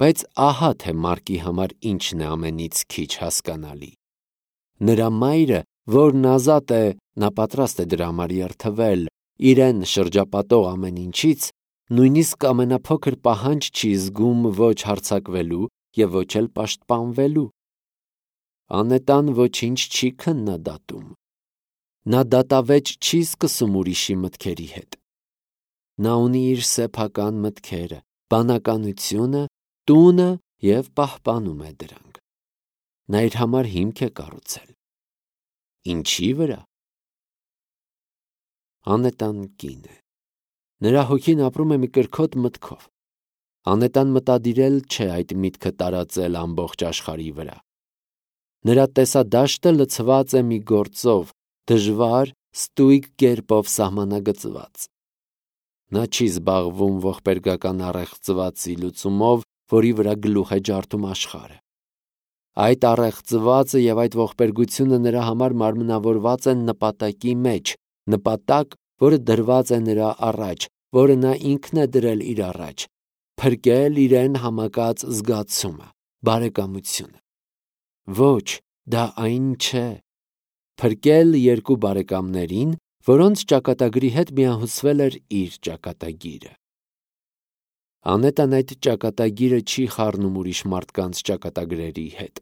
Բայց ահա թե Մարկի համար ինչն է ամենից քիչ հասկանալի։ Նրա մայրը, որն ազատ է, նա պատրաստ է դրա համար երթվել, իրեն շրջապատող ամեն ինչից, նույնիսկ ամենափոքր պահանջ չի զգում ոչ հարձակվելու և ոչ էլ պաշտպանվելու։ Անետան ոչինչ չի քննադատում։ Նա դատավեճ չի սկսում ուրիշի մտքերի հետ։ Նա ունի իր սեփական մտքերը, բանականությունը, տունը և պահպանում է դրանք։ Նա իր համար հիմք է կառուցել։ Ինչի վրա։ Անետան կին է։ Նրա հոգին ապրում է մի կրքոտ մտքով։ Անետան մտադիրել չէ այդ միտքը տարածել ամբողջ աշխարհի վրա։ Նրա տեսադաշտը լցված է մի գործով, դժվար, ստույգ կերպով սահմանագծված։ Նա չի զբաղվում ողբերգական առեղծվածի լուծումով, որի վրա գլուխ է ջարդում աշխարհը։ Այդ առեղծվածը և այդ ողբերգությունը նրա համար մարմնավորված են նպատակի մեջ, նպատակ, որը դրված է նրա առաջ, որը նա ինքն է դրել իր առաջ, փրկել իրեն համակած զգացումը, բարեկամությունը։ Ոչ, դա այն չէ։ Փրկել երկու բարեկամներին, որոնց ճակատագրի հետ միահյուսվել էր իր ճակատագիրը։ Անետան այդ ճակատագիրը չի խառնում ուրիշ մարդկանց ճակատագրերի հետ։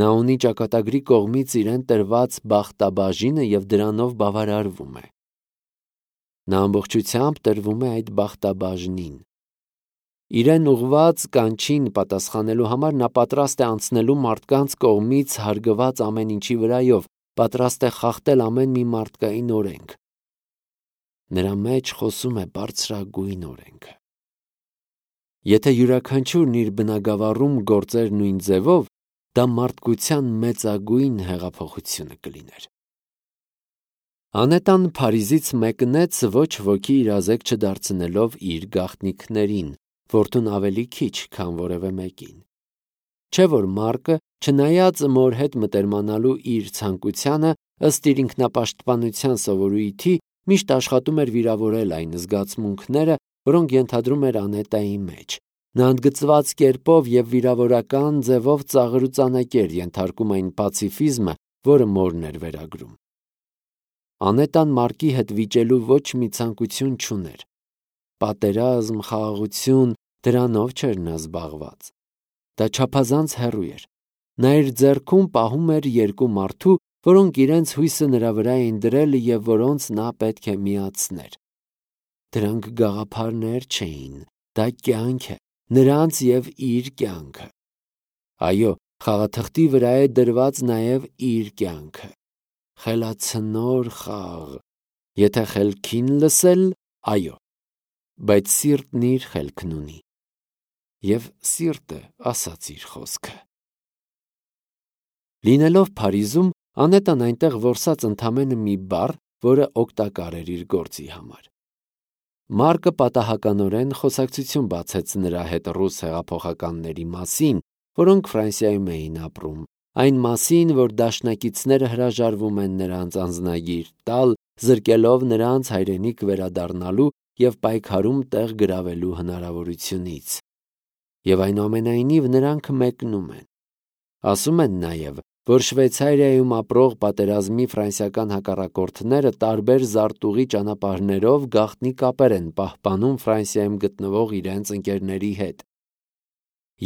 Նա ունի ճակատագրի կողմից իրեն տրված բախտաբաժինը և դրանով բավարարվում է։ Նա ամբողջությամբ տրվում է այդ բախտաբաժնին։ Իրեն ուղղված կանչին պատասխանելու համար նա պատրաստ է անցնելու մարդկանց կողմից հարգված ամեն ինչի վրայով, պատրաստ է խախտել ամեն մի մարդկային օրենք։ Նրա մեջ խոսում է բարձրագույն օրենքը։ Եթե յուրաքանչյուրն իր բնագավառում գործեր նույն ձևով, դա մարդկության մեծագույն հեղափոխությունը կլիներ։ Անետան Փարիզից մեկնեց ոչ ոքի իրազեկ չդարձնելով իր գաղտնիքներին, որդուն ավելի քիչ, քան որևէ մեկին։ Չէ՞ որ Մարկը, չնայած մոր հետ մտերմանալու իր ցանկությանը, ըստ իր ինքնապաշտպանության սովորույթի, միշտ աշխատում էր վիրավորել այն զգացմունքները, որոնք ենթադրում էր Անետայի մեջ։ Նա ընդգծված կերպով և վիրավորական ձևով ծաղրուծանակեր ենթարկում այն պացիֆիզմը, որը մորն էր վերագրում։ Անետան Մարկի հետ վիճելու ոչ մի ցանկություն չուներ։ Պատերազմ, խաղաղություն, դրանով չէր նա զբաղված։ Դա չափազանց հեռու էր։ Նա իր ձեռքում պահում էր երկու մարդու, որոնք իրենց հույսը նրա վրա էին դրել և որոնց նա պետք է միացներ։ Դրանք գաղափարներ չէին, դա կյանք է, նրանց և իր կյանքը։ Այո, խաղաթղթի վրա է դրված նաև իր կյանքը։ Խելացնոր խաղ։ Եթե խելքին լսել, այո, բայց սիրտն իր խելքն ունի։ Եվ սիրտը ասաց իր խոսքը։ Լինելով Փարիզում, Անետան այնտեղ որսաց ընդամենը մի բառ, որը օգտակար էր իր գործի համար։ Մարկը պատահականորեն խոսակցություն բացեց նրա հետ ռուս հեղափոխականների մասին, որոնք Ֆրանսիայում էին ապրում, այն մասին, որ դաշնակիցները հրաժարվում են նրանց անձնագիր տալ, զրկելով նրանց հայրենիք վերադառնալու և պայքարում տեղ գրավելու հնարավորությունից։ Եվ այնուամենայնիվ նրանք մեկնում են։ Ասում են նաև, որ Շվեյցարիայում ապրող պատերազմի ֆրանսիական հակառակորդները տարբեր զարտուղի ճանապարհներով գաղտնի կապեր են պահպանում Ֆրանսիայում գտնվող իրենց ընկերների հետ։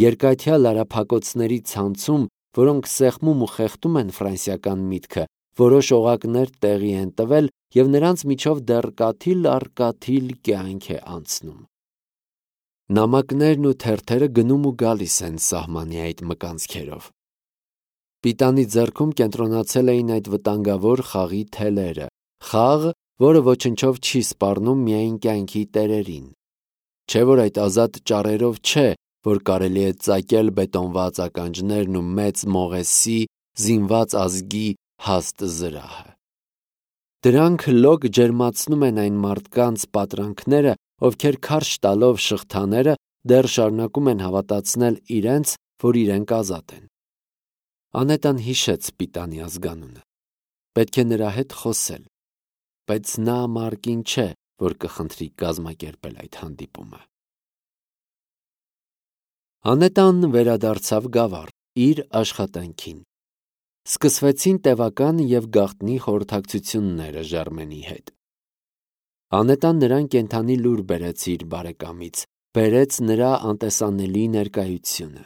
Երկաթյա լարափակոցների ցանցում, որոնք սեղմում ու խեղդում են ֆրանսիական միտքը, որոշ օղակներ տեղի են տվել և նրանց միջով դեռ կաթիլ առ կաթիլ կյանք է անցնում։ Նամակներն ու թերթերը գնում ու գալիս են սահմանի այդ մկանցքերով։ Պիտանի ձեռքում կենտրոնացել էին այդ վտանգավոր խաղի թելերը, խաղ, որը ոչնչով չի սպառնում միայն կյանքի տերերին։ Չէ՞ որ այդ ազատ ճառերով չէ, որ կարելի է ծակել բետոնված ականջներն ու մեծ մողեսի, զինված ազգի հաստ զրահը։ Դրանք լոկ ջերմացնում են այն մարդկանց պատրանքները, ովքեր քարշ տալով շղթաները դեռ շարունակում են հավատացնել իրենց, որ իրենք ազատ են։ Անետան հիշեց Պիտանի ազգանունը։ Պետք է նրա հետ խոսել, բայց նա Մարկին չէ, որ կխնդրի կազմակերպել այդ հանդիպումը։ Անետան վերադարձավ գավառ իր աշխատանքին։ Սկսվեցին տևական և գաղտնի խորհրդակցությունները Ժարմենի հետ։ Անետան նրան կենդանի լուր բերեց իր բարեկամից, բերեց նրա անտեսանելի ներկայությունը։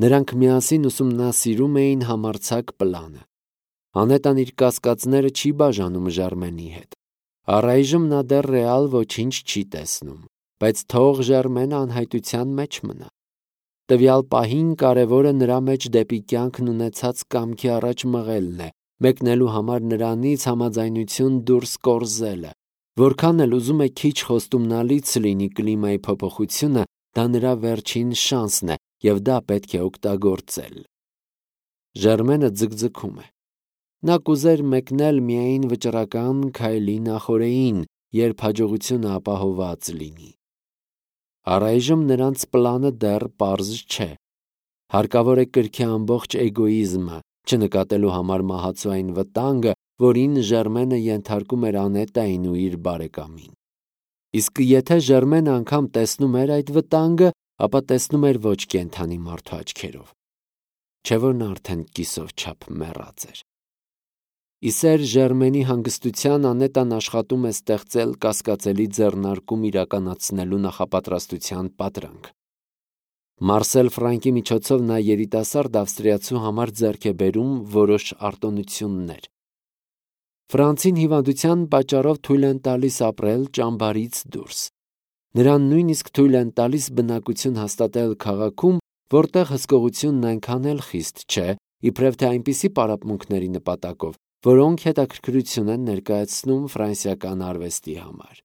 Նրանք միասին ուսումնասիրում էին համարձակ պլանը։ Անետան իր կասկածները չի բաժանում Ժարմենի հետ։ Առայժմ նա դեռ ռեալ ոչինչ չի տեսնում, բայց թող Ժարմենը անհայտության մեջ մնա։ Տվյալ պահին կարևորը նրա մեջ դեպի կյանքն ունեցած կամքի առաջ մղելն է, մեկնելու համար նրանից համաձայնություն դուրս կորզելը։ Որքան էլ ուզում է քիչ խոստումնալից լինի կլիմայի փոփոխությունը, դա նրա վերջին շանսն է, և դա պետք է օգտագործել։ Ժարմենը ձգձգում է։ Նա կուզեր մեկնել միայն վճռական քայլի նախօրեին, երբ հաջողությունը ապահովված լինի։ Առայժմ նրանց պլանը դեռ պարզ չէ։ Հարկավոր է կրքի ամբողջ էգոիզմը, չնկատելու համար մահացու այն վտանգը, որին Ժարմենը ենթարկում էր Անետային ու իր բարեկամին։ Իսկ եթե Ժարմենը անգամ տեսնում էր այդ վտանգը, ապա տեսնում էր ոչ կենդանի մարդու աչքերով։ Չէ՞ որ նա արդեն կիսով չափ մեռած էր։ Իսեր Ժարմենի հանգստության Անետան աշխատում է ստեղծել կասկածելի ձեռնարկում իրականացնելու նախապատրաստության պատրանք։ Մարսել Ֆրանկի միջոցով նա երիտասարդ ավստրիացու համար ձեռք է բերում որոշ արտոնություններ։ Ֆրանցին հիվանդության պատճառով թույլ են տալիս ապրել ճամբարից դուրս։ Նրան նույնիսկ թույլ են տալիս բնակություն հաստատել քաղաքում, որտեղ հսկողությունն այնքան էլ խիստ չէ, իբրև թե այնպիսի պարապմունքների նպատակով, որոնք հետաքրքրություն են ներկայացնում ֆրանսիական արվեստի համար։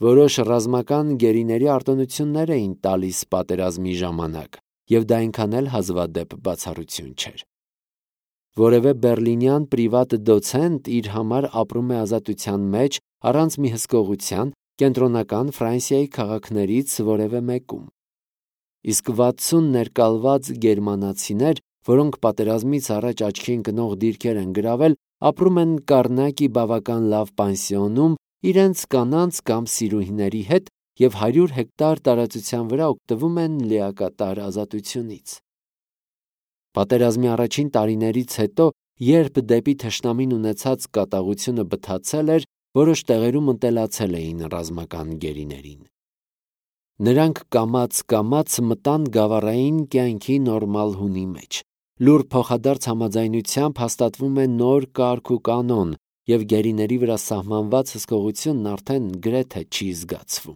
Որոշ ռազմական գերիների արտոնություններ էին տալիս պատերազմի ժամանակ, և դա այնքան էլ հազվադեպ բացառություն չէր։ Որևէ բեռլինյան պրիվատ դոցենտ իր համար ապրում է ազատության մեջ առանց մի հսկողության կենտրոնական Ֆրանսիայի քաղաքներից որևէ մեկում։ Իսկ 60 ներկալված գերմանացիներ, որոնք պատերազմից առաջ աչքի ընկնող դիրքեր են գրավել, ապրում են Կարնակի բավական լավ պանսիոնում իրենց կանանց կամ սիրուհիների հետ և 100 հեկտար տարածության վրա օգտվում են լիակատար ազատությունից։ Պատերազմի առաջին տարիներից հետո, երբ դեպի թշնամին ունեցած կատաղությունը բթացել էր, որոշ տեղերում ընտելացել էին ռազմական գերիներին։ Նրանք կամաց-կամաց մտան գավառային կյանքի նորմալ հունի մեջ։ Լուր փոխադարձ համաձայնությամբ հաստատվում է նոր կարգ ու կանոն, և գերիների վրա սահմանված հսկողությունն արդեն գրեթե չի զգացվում։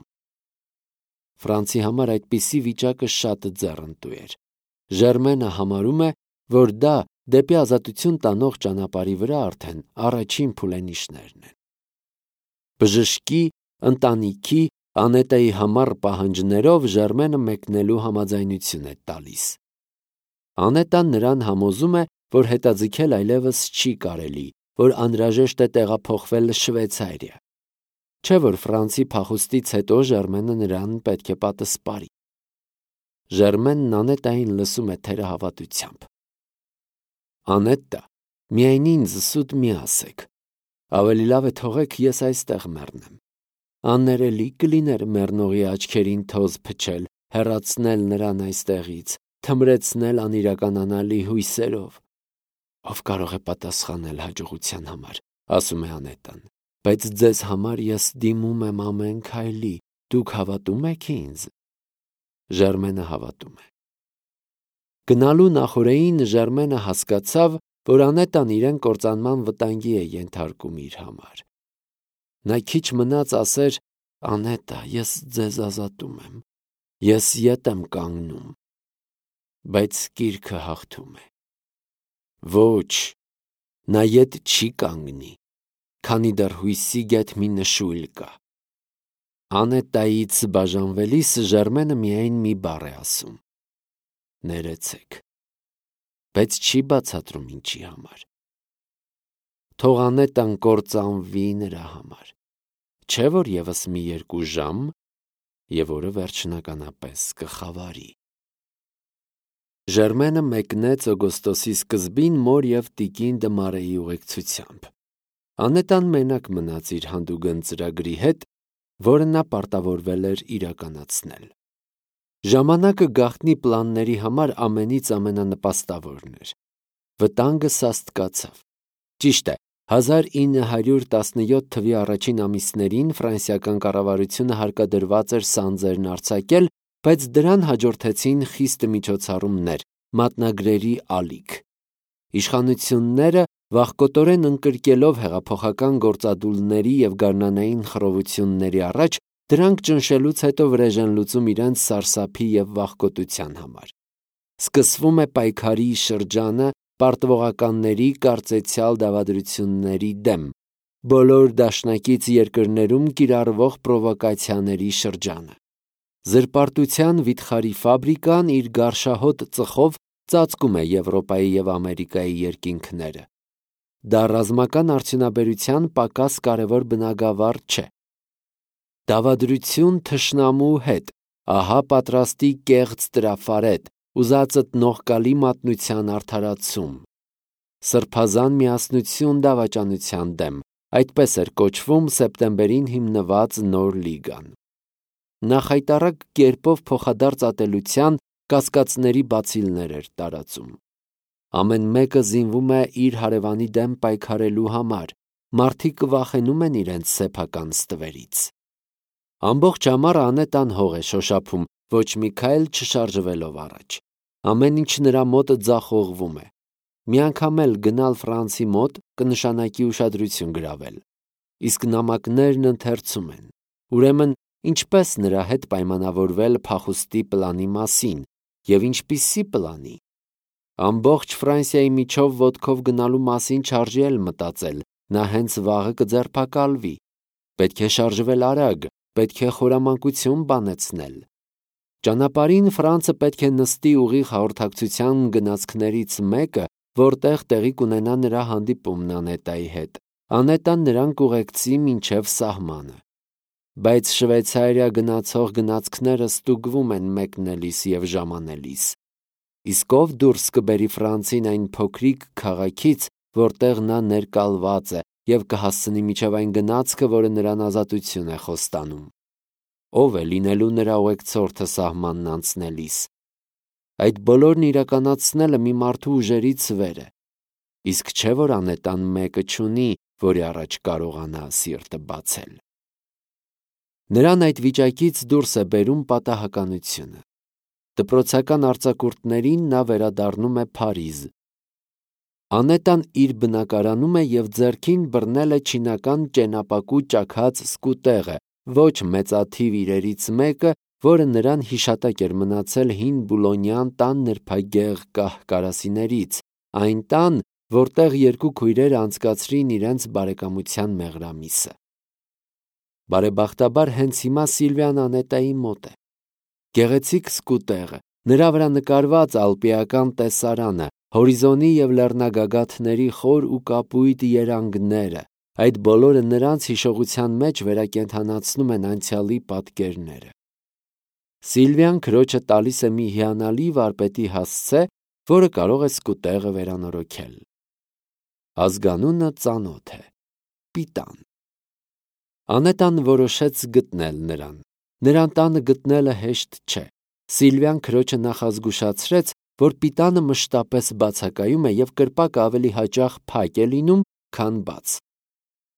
Ֆրանցի համար այդպիսի վիճակը շատ ձեռնտու էր։ Ժարմենը համարում է, որ դա դեպի ազատություն տանող ճանապարհի վրա արդեն առաջին փուլենիշներն են։ Բժշկի, ընտանիքի, Անետայի համառ պահանջներով Ժարմենը մեկնելու համաձայնություն է տալիս։ Անետան նրան համոզում է, որ հետաձգել այլևս չի կարելի, որ անհրաժեշտ է տեղափոխվել Շվեյցարիա։ Չէ՞ որ Ֆրանսի փախուստից հետո Ժարմենը նրան պետք է պատսպարի։ Ժարմենն Անետային լսում է թերահավատությամբ։ Անետա, միայն ինձ սուտ մի ասեք։ Ավելի լավ է թողեք ես այստեղ մեռնեմ։ Աններելի կլիներ մեռնողի աչքերին թոզ փչել, հեռացնել նրան այստեղից, թմրեցնել անիրականանալի հույսերով։ Ով կարող է պատասխանել հաջողության համար, ասում է Անետան, բայց ձեզ համար ես դիմում եմ ամեն քայլի, դուք հավատում եք ինձ։ Ժարմենը հավատում է։ Գնալու նախօրեին Ժարմենը հասկացավ, որ Անետան իրեն կործանման վտանգի է ենթարկում իր համար։ Նա քիչ մնաց ասեր. «Անետա, ես ձեզ ազատում եմ, ես ետ եմ կանգնում», բայց կիրքը հաղթում է։ Ոչ, նա ետ չի կանգնի, քանի դեռ հույսի գեթ մի նշույլ կա։ Անետայից բաժանվելիս Ժարմենը միայն մի բառ է ասում. ներեցեք, բայց չի բացատրում ինչի համար։ Թող Անետան կործանվի նրա համար։ Չէ՞ որ ևս մի 2 ժամ, և օրը վերջնականապես կխավարի։ Ժարմենը մեկնեց օգոստոսի սկզբին մոր և տիկին Դմարեի ուղեկցությամբ։ Անետան մենակ մնաց իր հանդուգն ծրագրի հետ, որը նա պարտավորվել էր իրականացնել։ Ժամանակը գաղտնի պլանների համար ամենից ամենանպաստավորն էր։ Վտանգը սաստկացավ։ Ճիշտ է, 1917 թվականի առաջին ամիսներին ֆրանսիական կառավարությունը հարկադրված էր սանձերն արձակել, բայց դրան հաջորդեցին խիստ միջոցառումներ, մատնագրերի ալիք։ Իշխանությունները վախկոտորեն ընկրկելով հեղափոխական գործադուլների և գարնանային խռովությունների առաջ, դրանք ճնշելուց հետո վրեժ են լուծում իրենց սարսափի և վախկոտության համար։ Սկսվում է պայքարի շրջանը պարտվողականների կարծեցյալ դավադրությունների դեմ, բոլոր դաշնակից երկրներում կիրառվող պրովոկացիաների շրջանը։ Զրպարտության վիթխարի ֆաբրիկան իր գարշահոտ ծխով ծածկում է Եվրոպայի և Ամերիկայի երկինքները։ Դա ռազմական արդյունաբերության պակաս կարևոր բնագավառ չէ։ Դավադրություն թշնամու հետ, ահա պատրաստի կեղծ տրաֆարետ, ուզածդ նողկալի մատնության արդարացում։ Սրբազան միասնություն դավաճանության դեմ, այդպես էր կոչվում սեպտեմբերին հիմնված նոր լիգան։ Նախայտառակ կերպով փոխադարձ ատելության կասկածների բացիլներ էր տարածում։ Ամեն մեկը զինվում է իր հարևանի դեմ պայքարելու համար, մարդիկ վախենում են իրենց սեփական ստվերից։ Ամբողջ ամառը Անետան հող է շոշափում, ոչ մի քայլ չշարժվելով առաջ։ Ամեն ինչ նրա մոտ ձախողվում է։ Մի անգամ էլ գնալ Ֆրանսի մոտ կնշանակի ուշադրություն գրավել։ Իսկ նամակներն ընթերցում են։ Ուրեմն, ինչպես նրա հետ պայմանավորվել փախուստի պլանի մասին և ինչպիսի պլանի։ Ամբողջ Ֆրանսիայի միջով ոտքով գնալու մասին չարժի էլ մտածել, նա հենց վաղը կձերբակալվի։ Պետք է շարժվել արագ, պետք է խորամանկություն բանեցնել։ Ճանապարհին Ֆրանցը պետք է նստի ուղիղ հաղորդակցության գնացքներից մեկը, որտեղ տեղի կունենա նրա հանդիպումն Անետայի հետ։ Անետան նրան կուղեկցի մինչև սահմանը։ Բայց Շվեյցարիա գնացող գնացքները ստուգվում են մեկնելիս և ժամանելիս։ Իսկ ով դուրս կբերի Ֆրանցին այն փոքրիկ քաղաքից, որտեղ նա ներկալված է և կհասցնի մինչև այն գնացքը, որը նրան ազատություն է խոստանում։ Ով է լինելու նրա ուղեկցորդը սահմանն անցնելիս։ Այդ բոլորն իրականացնելը մի մարդու ուժերից վեր է։ Իսկ չէ՞ որ Անետան մեկը չունի, որի առաջ կարողանա սիրտը բացել։ Նրան այդ վիճակից դուրս է բերում պատահականությունը։ Դպրոցական արձակուրդներին նա վերադառնում է Փարիզ։ Անետան իր բնակարանում է և ձեռքին բռնել է չինական ճենապակու ճաքած սկուտեղը, ոչ մեծաթիվ իրերից մեկը, որը նրան հիշատակ էր մնացել հին Բուլոնյան տան նրբագեղ կահ-կարասիներից, այն տան, որտեղ երկու քույրերը անցկացրին իրենց բարեկամության մեղրամիսը։ Բարեբախտաբար հենց հիմա Սիլվիան Անետայի մոտ է։ Գեղեցիկ սկուտեղը, նրա վրա նկարված ալպիական տեսարանը, հորիզոնի և լեռնագագաթների խոր ու կապույտ երանգները, այդ բոլորը նրանց հիշողության մեջ վերակենդանացնում են անցյալի պատկերները։ Սիլվիան քրոջը տալիս է մի հիանալի վարպետի հասցե, որը կարող է սկուտեղը վերանորոգել։ Ազգանունը ծանոթ է՝ Պիտան։ Անետան որոշեց գտնել նրան։ Նրան տանը գտնելը հեշտ չէ։ Սիլվիան քրոջը նախազգուշացրեց, որ Պիտանը մշտապես բացակայում է և կրպակը ավելի հաճախ փակ է լինում, քան բաց։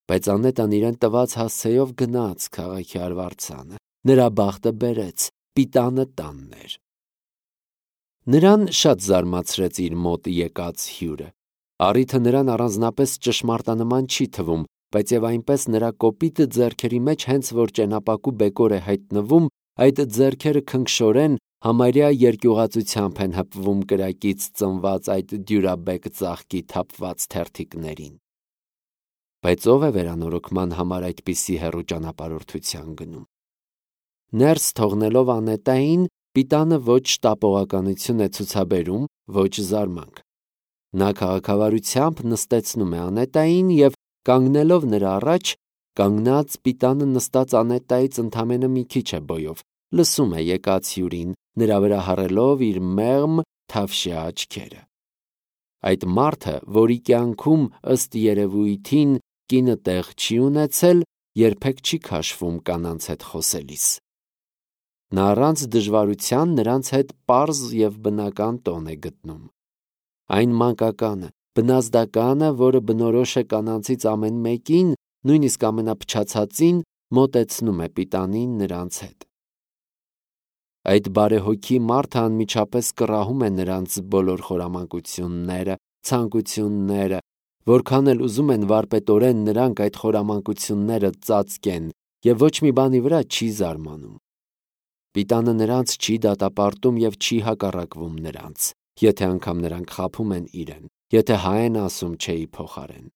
Բայց Անետան իրեն տված հասցեով գնաց քաղաքի արվարձանը։ Նրա բախտը բերեց, Պիտանը տանն էր։ Նրան շատ զարմացրեց իր մոտ եկած հյուրը։ Առիթը նրան առանձնապես ճշմարտանման չի թվում, բայց և այնպես նրա կոպիտ ձեռքերի մեջ հենց որ ճենապակու բեկոր է հայտնվում, այդ ձեռքերը քնքշորեն համարյա երկյուղածությամբ են հպվում կրակից ծնված այդ դյուրաբեկ ծաղկի թափված թերթիկներին։ Բայց ով է վերանորոգման համար այդպիսի հեռու ճանապարհորդության գնում։ Ներս թողնելով Անետային, Պիտանը ոչ տապողականություն է ցուցաբերում, ոչ զարմանք։ Նա քաղաքավարությամբ նստեցնում է Անետային և, կանգնելով նրա առաջ, կանգնած Պիտանը նստած Անետայից ընդամենը մի քիչ է բոյով, լսում է եկած հյուրին, նրա վրա հառելով իր մեղմ թավշյա աչքերը։ Այդ մարդը, որի կյանքում ըստ երևույթին կինը տեղ չի ունեցել, երբեք չի քաշվում կանանց հետ խոսելիս։ Նա առանց դժվարության նրանց հետ պարզ և բնական տոն է գտնում։ Այն մանկականը, բնազդականը, որը բնորոշ է կանանցից ամեն մեկին, նույնիսկ ամենափչացածին, մոտեցնում է Պիտանին նրանց հետ։ Այդ բարեհոգի մարդը անմիջապես կռահում է նրանց բոլոր խորամանկությունները, ցանկությունները, որքան էլ ուզում են վարպետորեն նրանք այդ խորամանկությունները ծածկեն, և ոչ մի բանի վրա չի զարմանում։ Պիտանը նրանց չի դատապարտում և չի հակառակվում նրանց, եթե անգամ նրանք խաբում են իրեն, եթե հայ են ասում չէի փոխարեն։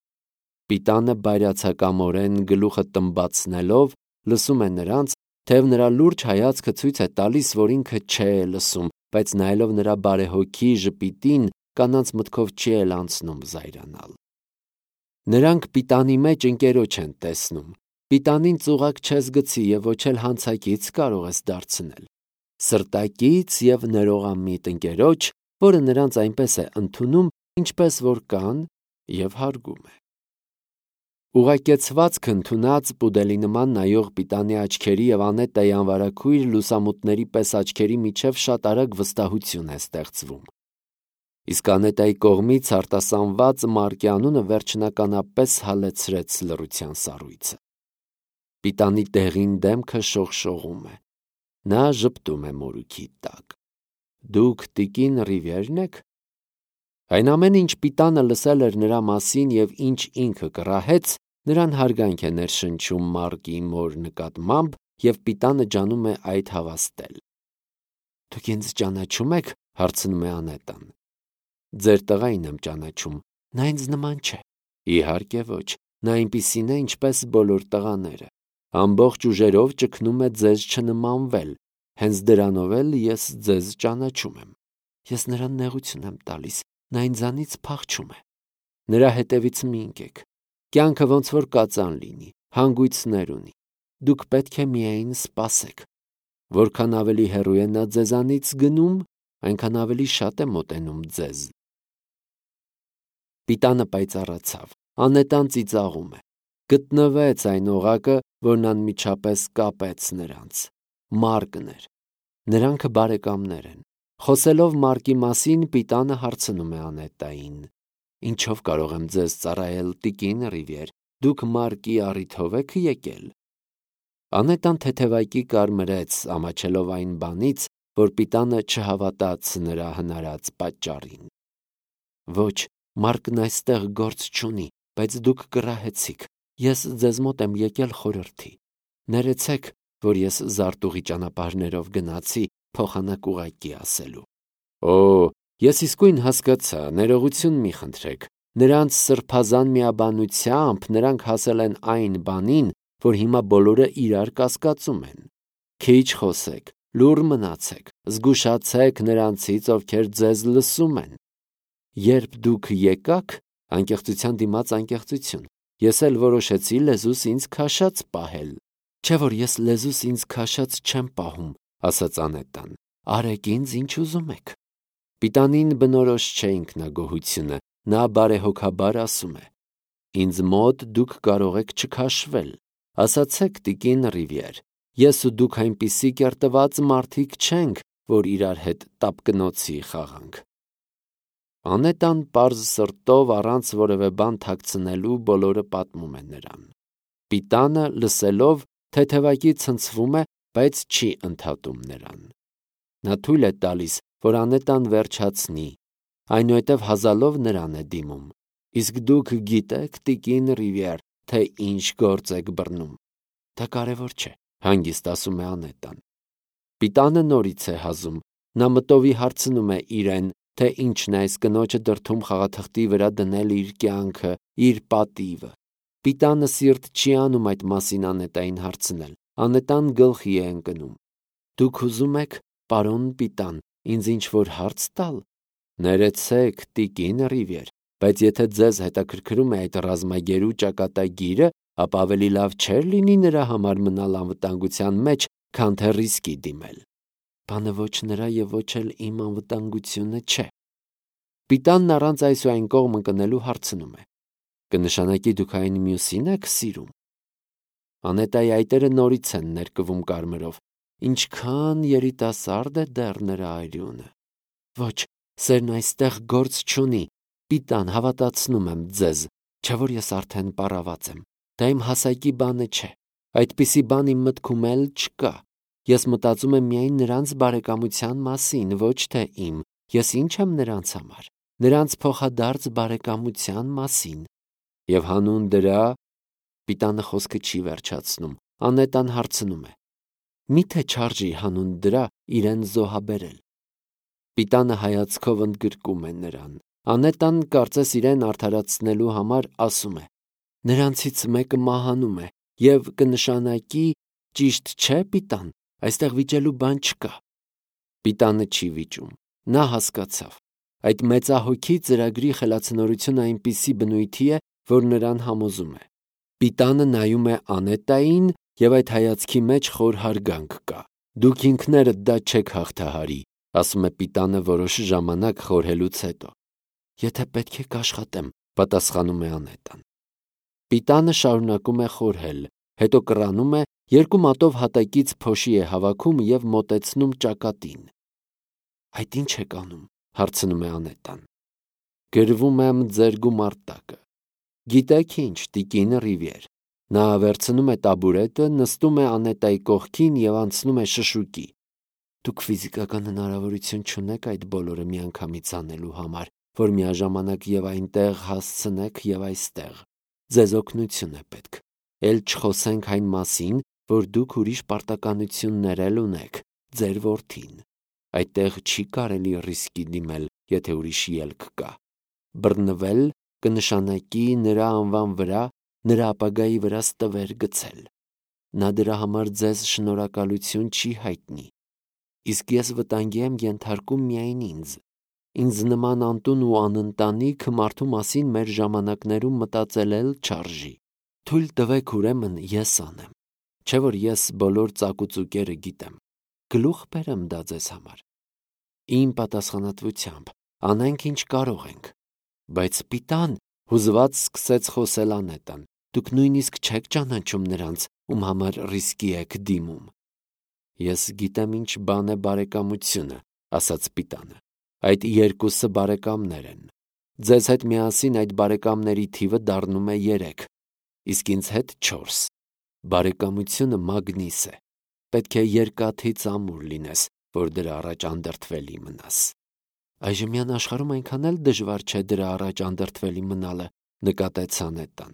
Պիտանը բայրացակամորեն գլուխը տմբացնելով լսում է նրանց, թեև նրա լուրջ հայացքը ցույց է տալիս, որ ինքը չէ լսում, բայց նայելով նրա բարեհոգի ժպիտին, կանանց մտքով չի էլ անցնում զայրանալ։ Նրանք Պիտանի մեջ ընկերոջ են տեսնում։ Պիտանին ծուղակ չես գցի և ոչ էլ հանցակից կարող ես դարձնել։ Սրտակից և ներողամիտ ընկերոջ, որը նրանց այնպես է ընդունում, ինչպես որ կան, և հարգում է։ Ուղղակեցվածք ընդունած պուդելի նման նայող Պիտանի աչքերի և Անետայի անվարագույր լուսամուտների պես աչքերի միջև շատ արագ վստահություն է ստեղծվում։ Իսկ Անետայի կողմից արտասանված Մարկի անունը վերջնականապես հալեցրեց լռության սառույցը։ Պիտանի դեղին դեմքը շողշողում է։ Նա ժպտում է մորուքի տակ։ Դուք տիկին Ռիվիերն եք։ Այն ամենը, ինչ Պիտանը լսել էր նրա մասին և ինչ ինքը կռահեց, նրան հարգանք է ներշնչում Մարկի մոր նկատմամբ, և Պիտանը ջանում է այդ հավաստել։ Դուք ինձ ճանաչում եք, հարցնում է Անետան։ Ձեր տղային եմ ճանաչում, նա ինձ նման չէ։ Իհարկե ոչ, նա այնպիսին է, ինչպես բոլոր տղաները։ Ամբողջ ուժերով ճգնում է ձեզ չնմանվել, հենց դրանով էլ ես ձեզ ճանաչում եմ։ Ես նրան նեղություն եմ տալիս, նա ինձանից փախչում է։ Նրա հետևից մի ընկեք։ Կյանքը ոնց որ կածան լինի, հանգույցներ ունի։ Դուք պետք է միայն սպասեք։ Որքան ավելի հեռու է նա ձեզանից գնում, այնքան ավելի շատ է մոտենում ձեզ։ Պիտանը պայծառացավ։ Անետան ծիծաղում է։ Գտնվեց այն օղակը, որն անմիջապես կապեց նրանց։ Մարկն էր։ Նրանք բարեկամներ են։ Խոսելով Մարկի մասին, Պիտանը հարցնում է Անետային. Ինչով կարող եմ ձեզ ծառայել, տիկին Ռիվիեր, դուք Մարկի առիթով եք եկել։ Անետան թեթևակի կարմրեց, ամաչելով այն բանից, որ Պիտանը չհավատաց նրա հնարած պատճառին։ Ոչ, Մարկն այստեղ գործ չունի, բայց դուք կռահեցիք։ Ես ձեզ մոտ եմ եկել խորհրդի։ Ներեցեք, որ ես զարտուղի ճանապարհներով գնացի, փոխանակ ուղղակի ասելու։ Օ, ես իսկույն հասկացա, ներողություն մի խնդրեք։ Նրանց սրբազան միաբանությամբ նրանք հասել են այն բանին, որ հիմա բոլորը իրար կասկածում են։ Քիչ խոսեք, լուռ մնացեք, զգուշացեք նրանցից, ովքեր ձեզ լսում են։ Երբ դուք եկաք, անկեղծության դիմաց անկեղծություն, ես էլ որոշեցի լեզուս ինձ քաշած պահել։ Չէ որ ես լեզուս ինձ քաշած չեմ պահում, ասաց Անետան։ Արեք ինձ ինչ ուզում եք։ Պիտանին բնորոշ չէ ինքնագոհությունը, նա բարեհոգաբար ասում է. Ինձ մոտ դուք կարող եք չքաշվել։ Ասացեք, տիկին Ռիվիեր, ես ու դուք այնպիսի կերտված մարդիկ չենք, որ իրար հետ տապկնոցի խաղանք։ Անետան պարզ սրտով առանց որևէ բան թաքցնելու բոլորը պատմում է նրան։ Պիտանը լսելով թեթևակի ցնցվում է, բայց չի ընդհատում նրան։ Նա թույլ է տալիս, որ Անետան վերջացնի, այնուհետև հազալով նրան է դիմում։ Իսկ դուք գիտեք, տիկին Ռիվիեր, թե ինչ գործ եք բռնում։ Դա կարևոր չէ, հանգիստ ասում է Անետան։ Պիտանը նորից է հազում։ Նա մտովի հարցնում է իրեն, թե ինչն է այս կնոջը դրդում խաղաթղթի վրա դնել իր կյանքը, իր պատիվը։ Պիտանը սիրտ չի անում այդ մասին Անետային հարցնել։ Անետան գլխի է ընկնում։ Դուք ուզում եք, պարոն Պիտան, ինձ ինչ-որ հարց տալ։ Ներեցեք, տիկին Ռիվիեր, բայց եթե ձեզ հետաքրքրում է այդ ռազմագերու ճակատագիրը, ապա ավելի լավ չէր լինի նրա համար մնալ անվտանգության մեջ, քան թե ռիսկի դիմել։ Բանը ոչ նրա և ոչ էլ իմ անվտանգությունը չէ։ Պիտանն առանց այս ու այն կողմ ընկնելու հարցնում է. Կնշանակի դուք այն մյուսին եք սիրում։ Անետայի այտերը նորից են ներկվում կարմրով։ ինչքան երիտասարդ է դեռ նրա արյունը։ Ոչ, սերն այստեղ գործ չունի։ Պիտան, հավատացնում եմ ձեզ, չէ որ ես արդեն պառաված եմ։ Դա իմ հասակի բանը չէ։ Այդպիսի բան իմ մտքում էլ չկա։ Ես մտածում եմ միայն նրանց բարեկամության մասին, ոչ թե իմ։ Ես ինչ եմ նրանց համար։ Նրանց փոխադարձ բարեկամության մասին։ Եվ հանուն դրա, Պիտանը խոսքը չի վերջացնում։ Անետան հարցնում է. Միթե չարժի հանուն դրա իրեն զոհաբերել։ Պիտանը հայացքով ընդգրկում է նրան։ Անետան կարծես իրեն արդարացնելու համար ասում է. նրանցից մեկը մահանում է եւ կնշանակի, ճիշտ չէ, Պիտան, այստեղ վիճելու բան չկա։ Պիտանը չի վիճում։ Նա հասկացավ։ Այդ մեծահոգի ծրագրի խելացնորությունը այնպիսի բնույթի է, որ նրան համոզում է։ Պիտանը նայում է Անետային եւ այդ հայացքի մեջ խոր հարգանք կա։ Դուք ինքներդ դա չեք հաղթահարի, ասում է Պիտանը որոշ ժամանակ խորհելուց հետո։ Եթե պետք է կաշխատեմ, պատասխանում է Անետան։ Պիտանը շարունակում է խորհել, հետո կռանում է, երկու մատով հատակից փոշի է հավաքում եւ մոտեցնում ճակատին։ Այդ ինչ եք անում, հարցնում է Անետան։ Գրվում եմ ձեր գումարտակը։ Գիտեք ինչ, տիկին Ռիվիեր։ Նա վերցնում է տաբուրետը, նստում է Անետայի կողքին եւ անցնում է շշուկի։ Դուք ֆիզիկական հնարավորություն չունեք այդ բոլորը միանգամից անելու համար, որ միաժամանակ եւ այնտեղ հասցնեք եւ այստեղ։ Ձեզ օգնություն է պետք։ Էլ չխոսենք այն մասին, որ դուք ուրիշ պարտականություններ էլ ունեք, ձեր որդին։ Այդտեղ չի կարելի ռիսկի դիմել, եթե ուրիշ ելք կա։ Բռնվել կնշանակի նրա անվան վրա, նրա ապագայի վրա ստվեր գցել։ Նա դրա համար ձեզ շնորհակալություն չի հայտնի։ Իսկ ես վտանգի եմ ենթարկում միայն ինձ։ Ինձ նման անտուն ու անընտանիք մարդու մասին մեր ժամանակներում մտածել էլ չարժի։ Թույլ տվեք ուրեմն ես անեմ։ Չէ որ ես բոլոր ծակուծուկերը գիտեմ։ Գլուխ բերեմ դա ձեզ համար։ Իմ պատասխանատվությամբ անենք ինչ կարող ենք։ Բայց Պիտան, հուզված սկսեց խոսել Անետան, դուք նույնիսկ չեք ճանաչում նրանց, ում համար ռիսկի եք դիմում։ Ես գիտեմ ինչ բան է բարեկամությունը, ասաց Պիտանը։ Այդ երկուսը բարեկամներ են։ Ձեզ հետ միասին այդ բարեկամների թիվը դառնում է 3, իսկ ինձ հետ 4։ Բարեկամությունը մագնիս է։ Պետք է երկաթից ամուր լինես, որ դրա առաջ անդրդվելի մնաս։ Այժմյան աշխարհում այնքան էլ դժվար չէ դրա առաջ անդրդվելի մնալը, նկատեց Անետան։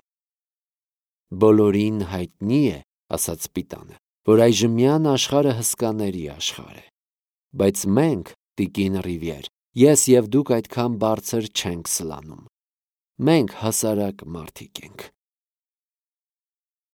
Բոլորին հայտնի է, ասաց Պիտանը, որ այժմյան աշխարհը հսկաների աշխարհ է։ Բայց մենք, տիկին Ռիվիեր, ես եւ դուք այդքան բարձր չենք սլանում։ Մենք հասարակ մարդիկ ենք։